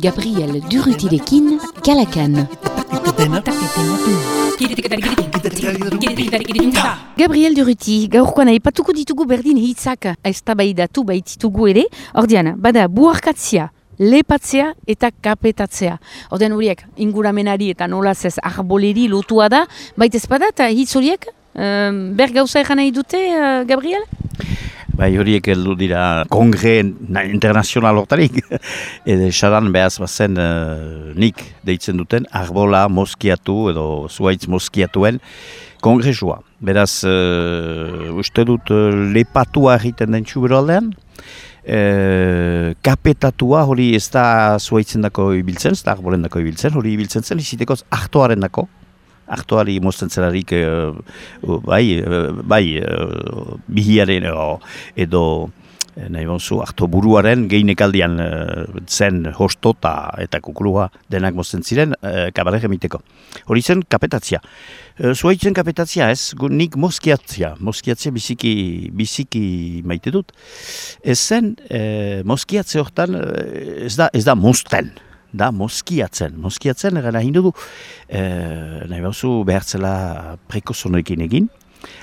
Gabriel Durrutirekin, Kalakan. Gabriel Durruti, gaurkoan aipatuko ditugu berdin hitzak eztabaidatu baititugu ere, ordean, bada buharkatzea, lepatzea eta kapetatzea. Ordean horiek, inguramenari eta nolaz ez arboleri lotua da, baitez bada eta hitz horiek, ber gauza egan nahi dute, Gabriel? Bai, horiek heldu dira kongre internazional hortarik. Edo esadan behaz bazen nik deitzen duten arbola moskiatu edo zuhaitz moskiatuen kongresua. Beraz, uste dut lepatua egiten den txubero aldean. Kapetatua hori ez da zuhaitzen dako ibiltzen, ez da arbolen dako ibiltzen, hori ibiltzen zen izitekoz artoaren dako. Artoari mozten zelarik bihiaren edo nahi bonzu, arto buruaren geinekaldian zen hostota eta kukulua denak mozten ziren kabarek emiteko. Hori zen kapetatzia. Zuhaitzen kapetatzia ez, nik moskiatzia biziki maite dut. Ez zen moskiatze hortan ez da mozten. Da moskiatzen egan nahi du nahi bauzu behartzela prekozonoekin egin,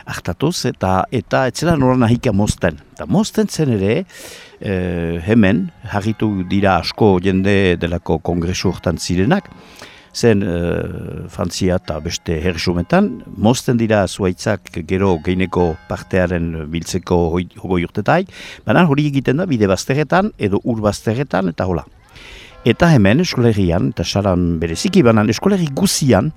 hartatuz eta etzela nola nahika mozten. Eta mozten zen ere hemen harritu dira asko jende delako kongresu hortan zirenak, zen Frantzia eta beste herrisumetan, mozten dira zuhaitzak gero geineko partearen biltzeko hogoi urtetaik, baina hori egiten da bide bazterretan edo ur bazterretan eta hola. Eta hemen eskolerian, eta saran bereziki banan eskoleri guzian,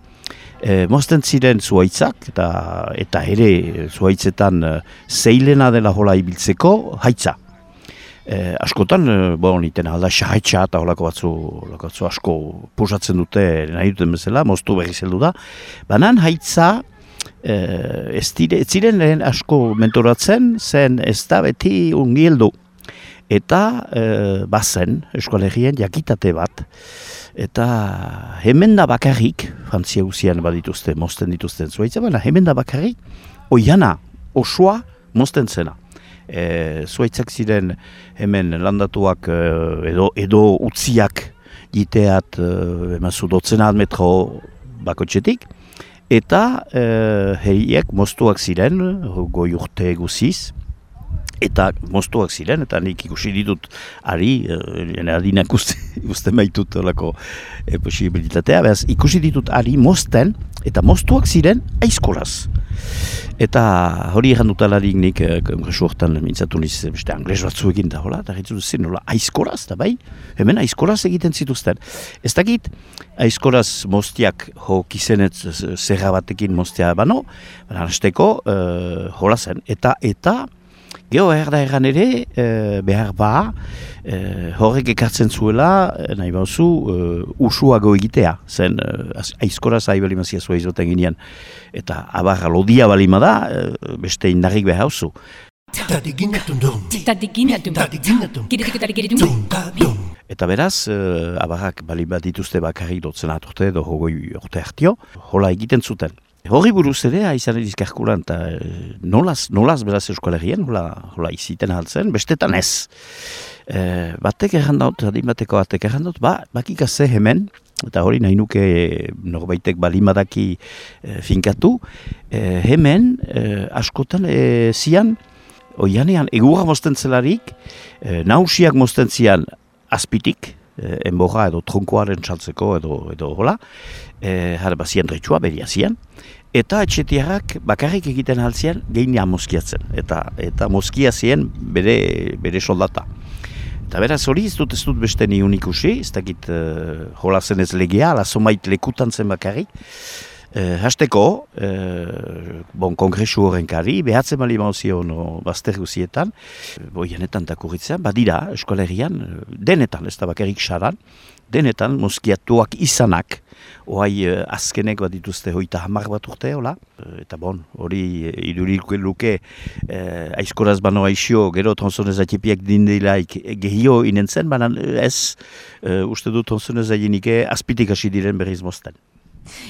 mozten ziren zuhaitzak, eta ere zuhaitzetan zeilena dela hola ibiltzeko haitza. Askotan, niten alda xahaitza eta holako batzu asko posatzen dute nahi duten bezala, moztu berri zeldu da. Banan haitza, ez ziren lehen asko mentoratzen, zen ez da beti ungieldu. Eta bazen eskolegien jakitate bat. Eta hemen da bakarrik, Frantzia guzian badituzte, mozten dituzten zuhaitza, baina hemen da bakarrik, oiana, osoa, mozten zena. Zuhaitzak ziren hemen landatuak edo utziak jiteat emazu dotzenat metro bakotxetik. Eta heriek moztuak ziren, goi urte guziz, eta moztuak ziren, eta nik ikusi ditut ari, adinak usten baitut olako posibilitatea, behaz ikusi ditut ari mozten, eta moztuak ziren aizkolaz. Eta hori egan dutalarik nik kongresu hortan mintzatu niz beste angles batzu egin da, eta gaitu zen, aizkolaz, eta bai, hemen aizkolaz egiten zituzten. Ez dakit, aizkolaz moztiak kizenetz zerra batekin moztia bano, baina hasteko hola zen, eta geho erda egan ere, behar horrek ekartzen zuela, nahi bauzu, usuago egitea, zen aizkoraz ahibalimazia zua izoten ginean, eta abarra lodia balima da, beste indarrik behar hauzu. Eta beraz, abarrak balima dituzte bakarrik dotzen aturte edo hogoi urte hartio, hola egiten zuten. Horri buruz ere, aizan edizkarkulan, eta nolaz beraz eskolerien, hola iziten haltzen, bestetan ez. Batek errandaut, bateko batek errandaut, bakik azze hemen, eta hori nahi nuke norbaitek balimadaki finkatu, hemen askotan zian, oianean egurra mozten zelarik, nausiak mozten zian azpitik, enborra edo tronkoaren txaltzeko edo hola, bazien retxua, beria zian, eta etxetiarrak bakarrik egiten haltzian geinean moskiatzen, eta moskia zien bere soldata. Eta beraz hori ez dut beste niun ikusi, ez dakit hola zen ez legea, ala somait lekutan zen bakarrik. Hasteko, kongresu horrenkari, behatzen bali mauzion bazter guzietan, boianetan takurritzean, badira eskolerian, denetan, ez da bakarrik saran, denetan moskiatuak izanak, oai azkenek bat dituzte hoita 10 bat urte, hola? Eta hori idurik luke aizkoraz bano aixio, gero tronzonez atipiak dindilaik gehio inentzen, baina ez uste du tronzonez ainike azpitik hasi diren berriz mozten.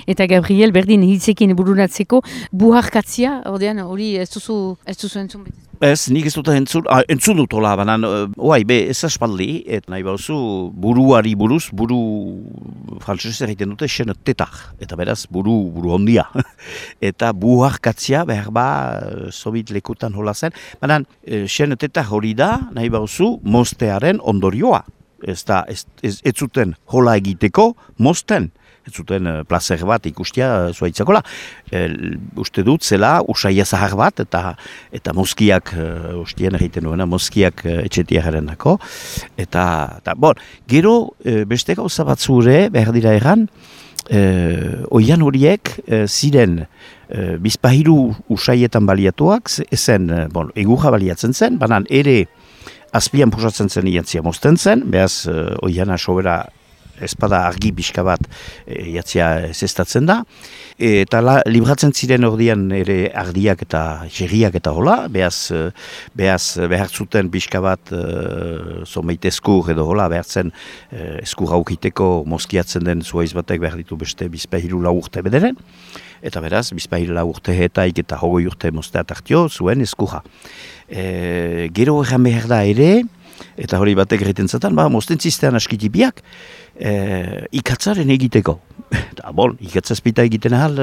Eta Gabriel, berdin hitzekin bururatzeko, buharkatzia, ordean, hori ez duzu entzun beti. Ez, nik ez dut entzun dut hola, banan, ez aspaldi, eta nahi bauzu buruari buruz, buru frantzesez egiten dute xen tetar, eta beraz buru ondia. Eta buharkatzia behar sobit lekutan hola zen, banan xen tetar hori da, nahi bauzu mostearen ondorioa. Ez zuten hola egiteko mosten. Ez zuten plazer bat ikustia zuaitzakola. Uste dut zela usaia zahar bat eta mozkiak, ustien egiten duena, mozkiak etxetia jarendako. Eta gero beste gauza batzure behar dira egan, oian horiek ziren bizpahiru usaietan baliatuak, ezen egurra baliatzen zen, banan ere azpian pusatzen zen iatzia mozten zen, behaz oiana sobera espada argi pixka bat jatzia zestatzen da. Eta libratzen ziren ordian ere ardiak eta jerriak eta hola, behaz behar zuten pixka bat zomeit eskur edo hola, behar zen eskur haukiteko mozkiatzen den zuaiz batek behar ditu beste bizpahiru lau urte bederen. Eta beraz, bizpahiru lau urte hetaik eta hogoi urte moztea tartio zuen eskurra. Gero egan behar da ere, eta hori batek egiten zaten, mozten ziztean askitipiak, ikatzaren egiteko. Eta ikatzazpita egiten ahal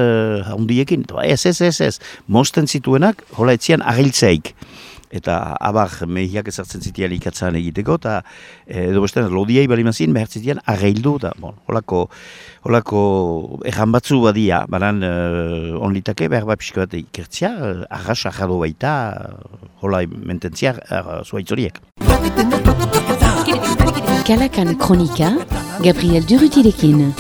handiekin. Ez. Mozten zituenak, hola etzian agiltzeik. Eta abar mehiak ezartzen zitian ikatzaren egiteko, eta edo bestean lodiai balimazien behar zitian agildu, eta holako erran batzu badia, banan onlitake behar bat pixka bat ikertzia, arras arrado baita, hola mententzia zuaitzoriek. Kalakan Kronika, Gabriel Durrutirekin.